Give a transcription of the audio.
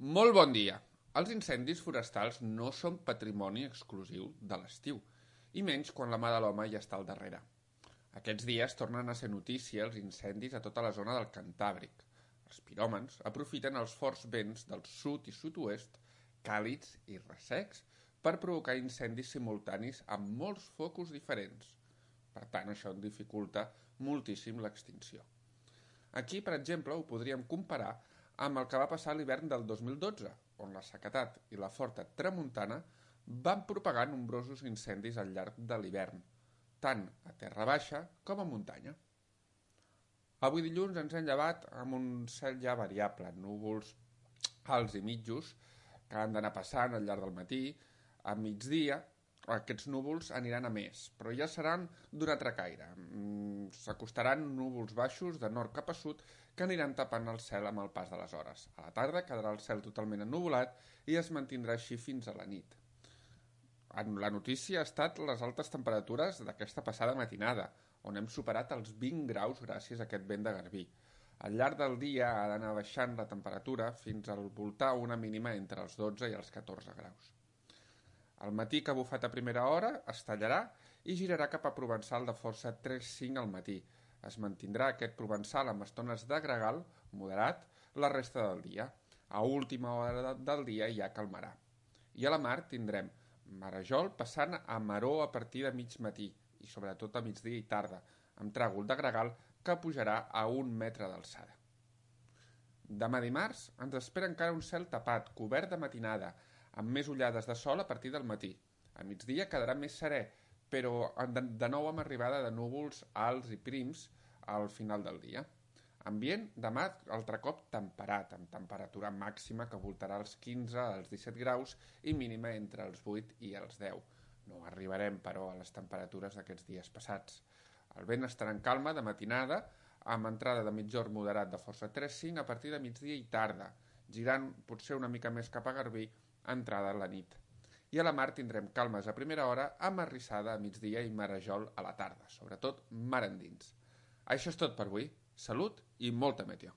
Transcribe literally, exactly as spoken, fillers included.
Molt bon dia. Els incendis forestals no són patrimoni exclusiu de l'estiu, i menys quan la mà de l'home ja està al darrere. Aquests dies tornen a ser notícia els incendis a tota la zona del Cantàbric. Els piròmans aprofiten els forts vents del sud i sud-oest, càlids i ressecs, per provocar incendis simultanis amb molts focus diferents. Per tant, això en dificulta moltíssim l'extinció. Aquí, per exemple, ho podríem comparar amb el que va passar a l'hivern del dos mil dotze, on la sequedat i la forta tramuntana van propagar nombrosos incendis al llarg de l'hivern, tant a terra baixa com a muntanya. Avui dilluns ens hem llevat amb un cel ja variable, núvols alts i mitjos que han d'anar passant al llarg del matí. A migdia aquests núvols aniran a més, però ja seran d'un altre caire. S'acostaran núvols baixos de nord cap a sud que aniran tapant el cel amb el pas de les hores. A la tarda quedarà el cel totalment ennuvolat i es mantindrà així fins a la nit. La notícia ha estat les altes temperatures d'aquesta passada matinada, on hem superat els vint graus gràcies a aquest vent de garbí. Al llarg del dia ha d'anar baixant la temperatura fins al voltar una mínima entre els dotze i els catorze graus. Al matí que ha bufat a primera hora es tallarà i girarà cap a provençal de força tres cinc al matí. Es mantindrà aquest provençal amb estones de gregal moderat la resta del dia. A última hora del dia ja calmarà. I a la mar tindrem marejol passant a maror a partir de mig matí i sobretot a migdia i tarda, amb tràgol de gregal que pujarà a un metre d'alçada. Demà dimarts ens espera encara un cel tapat, cobert de matinada, amb més ullades de sol a partir del matí. A migdia quedarà més serè, però de nou amb arribada de núvols alts i prims al final del dia. Ambient demà altre cop temperat, amb temperatura màxima que voltarà als quinze als disset graus i mínima entre els vuit i els deu. No arribarem, però, a les temperatures d'aquests dies passats. El vent estarà en calma de matinada, amb entrada de mitjorn moderat de força tres cinc a partir de migdia i tarda, girant potser una mica més cap a Garbí, entrada a la nit. I a la mar tindrem calmes a primera hora amb arrissada a migdia i marejol a la tarda, sobretot mar endins. Això és tot per avui. Salut i molta meteo.